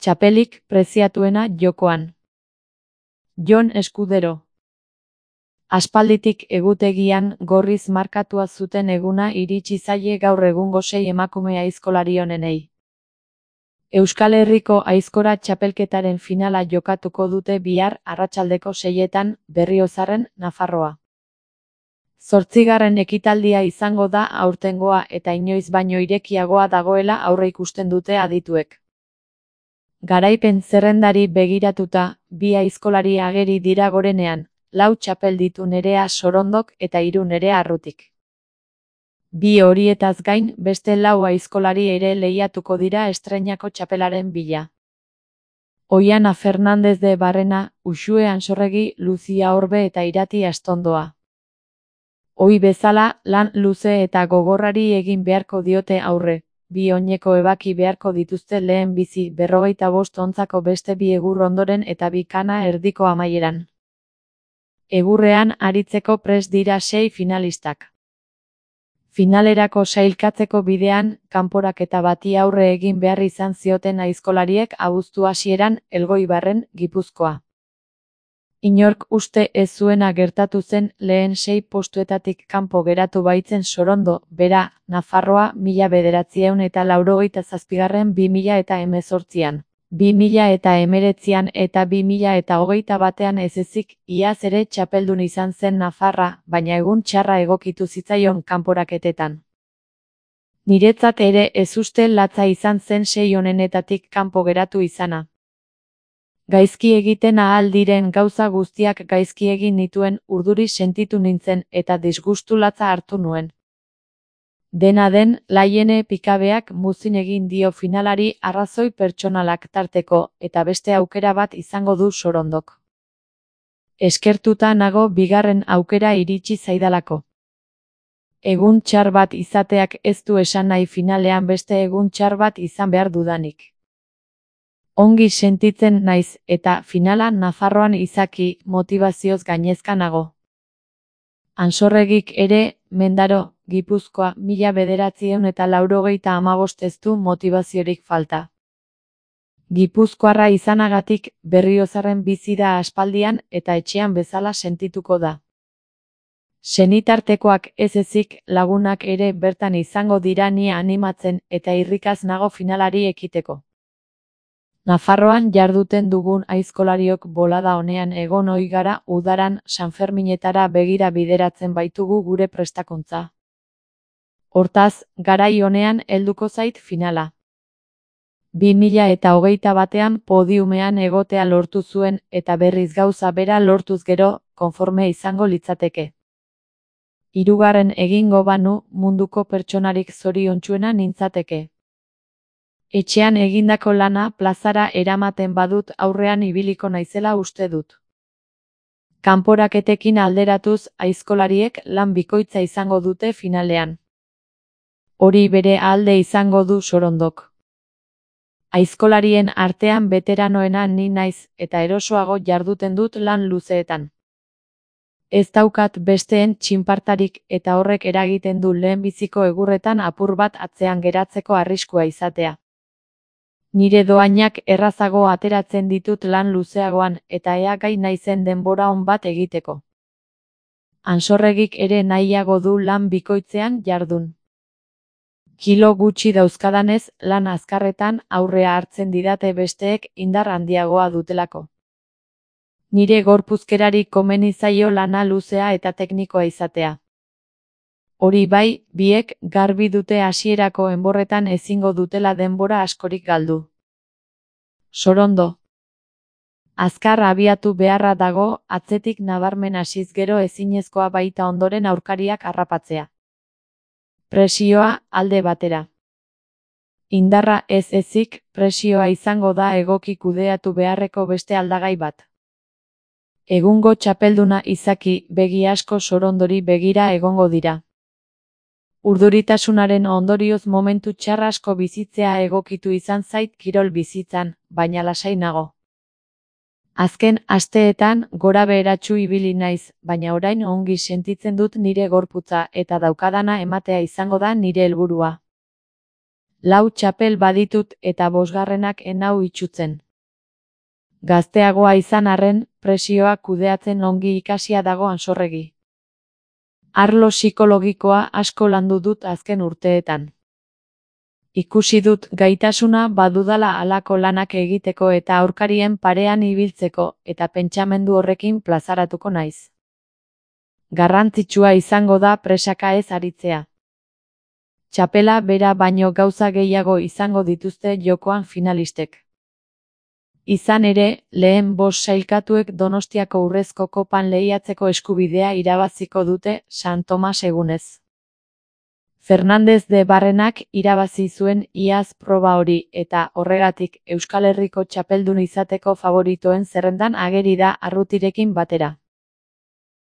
Txapelik preziatuena jokoan. Jon Eskudero. Aspalditik egutegian gorriz markatua zuten eguna iritsi zaie gaur egungo 6 emakume aizkolari onenei. Euskal Herriko aizkora txapelketaren finala jokatuko dute bihar arratsaldeko 6etan Berriozarren, Nafarroa. 8. ekitaldia izango da aurtengoa eta inoiz baino irekiagoa dagoela aurreikusten dute adituek. Garaipen zerrendari begiratuta, 2 aizkolari ageri dira gorenean, 4 txapel ditu Nerea Sorondok eta 3 Nerea Arrutik. 2 horietaz gain, beste 4 aizkolari ere lehiatuko dira estreinako txapelaren bila. Oiana Fernández de Barrena, Uxue Ansorregi, Luzia Orbe eta Irati Astondoa. Ohi bezala, lan luze eta gogorrari egin beharko diote aurre. 2 oineko ebaki beharko dituzte lehen bizi 45 ontzako beste 2 egur ondoren eta 2 kana erdiko amaieran. Egurrean aritzeko prest dira 6 finalistak. Finalerako sailkatzeko bidean, kanporaketa bati aurre egin behar izan zioten aizkolariek abuztu hasieran Elgoibarren, Gipuzkoa. Inork uste ez zuena gertatu zen lehen 6 postuetatik kanpo geratu baitzen Sorondo, bera, Nafarroa 1987an 2018an, 2019an eta 2021an ez ezik, iaz ere txapeldun izan zen Nafarra, baina egun txarra egokitu zitzaion kanporaketetan. Niretzat ere ez uste latza izan zen 6 honenetatik kanpo geratu izana. Gaizki egiten ahal diren gauza guztiak gaizki egin nituen, urduri sentitu nintzen eta disgustu latza hartu nuen. Dena den, Laiene Pikabeak muzin egin dio finalari arrazoi pertsonalak tarteko, eta beste aukera bat izango du Sorondok. Eskertuta nago bigarren aukera iritsi zaidalako. Egun txar bat izateak ez du esan nahi finalean beste egun txar bat izan behar dudanik. Ongi sentitzen naiz eta finala Nafarroan izaki motibazioz gainezka nago. Ansorregik ere, Mendaro, Gipuzkoa 1985 ez du motibaziorik falta. Gipuzkoarra izanagatik Berriozarren bizi da aspaldian eta etxean bezala sentituko da. Senitartekoak ez ezik lagunak ere bertan izango dira ni animatzen eta irrikaz nago finalari ekiteko. Nafarroan jarduten dugun aizkolariok bolada honean egon ohi gara udaran Sanferminetara begira bideratzen baitugu gure prestakuntza. Hortaz, garai honean helduko zait finala. 2021an podiumean egotea lortu zuen eta berriz gauza bera lortuz gero, konforme izango litzateke. 3. egingo banu, munduko pertsonarik zoriontsuena nintzateke. Etxean egindako lana plazara eramaten badut aurrean ibiliko naizela uste dut. Kanporaketekin alderatuz aizkolariek lan bikoitza izango dute finalean. Hori bere alde izango du Sorondok. Aizkolarien artean beteranoena ni naiz eta erosoago jarduten dut lan luzeetan. Ez daukat besteen txinpartarik eta horrek eragiten du lehenbiziko egurretan apur bat atzean geratzeko arriskua izatea. Nire doainak errazago ateratzen ditut lan luzeagoan eta ea gai naizen denbora on bat egiteko. Ansorregik ere nahiago du lan bikoitzean jardun. Kilo gutxi dauzkadanez, lan azkarretan aurrea hartzen didate besteek indar handiagoa dutelako. Nire gorpuzkerari komeni zaio lana luzea eta teknikoa izatea. Hori bai, biek garbi dute hasierako enborretan ezingo dutela denbora askorik galdu. Sorondo. Azkar abiatu beharra dago, atzetik nabarmen hasiz gero ezinezkoa baita ondoren aurkariak harrapatzea. Presioa alde batera. Indarra ez ezik, presioa izango da egoki kudeatu beharreko beste aldagai bat. Egungo txapelduna izaki begi asko Sorondori begira egongo dira. Urduritasunaren ondorioz momentu txar asko bizitzea egokitu izan zait kirol bizitzan, baina lasai nago. Azken asteetan gorabeheratsu ibili naiz, baina orain ongi sentitzen dut nire gorputza eta daukadana ematea izango da nire helburua. 4 txapel baditut eta 5. enau itsutzen. Gazteagoa izan arren, presioa kudeatzen ongi ikasia dago Ansorregi. Arlo psikologikoa asko landu dut azken urteetan. Ikusi dut gaitasuna badudala halako lanak egiteko eta aurkarien parean ibiltzeko, eta pentsamendu horrekin plazaratuko naiz. Garrantzitsua izango da presaka ez aritzea. Txapela bera baino gauza gehiago izango dituzte jokoan finalistek. Izan ere, lehen 5 sailkatuek Donostiako Urrezko Kopan lehiatzeko eskubidea irabaziko dute San Tomas egunez. Fernández de Barrenak irabazi zuen iaz proba hori eta horregatik Euskal Herriko txapeldun izateko favoritoen zerrendan ageri da Arrutirekin batera.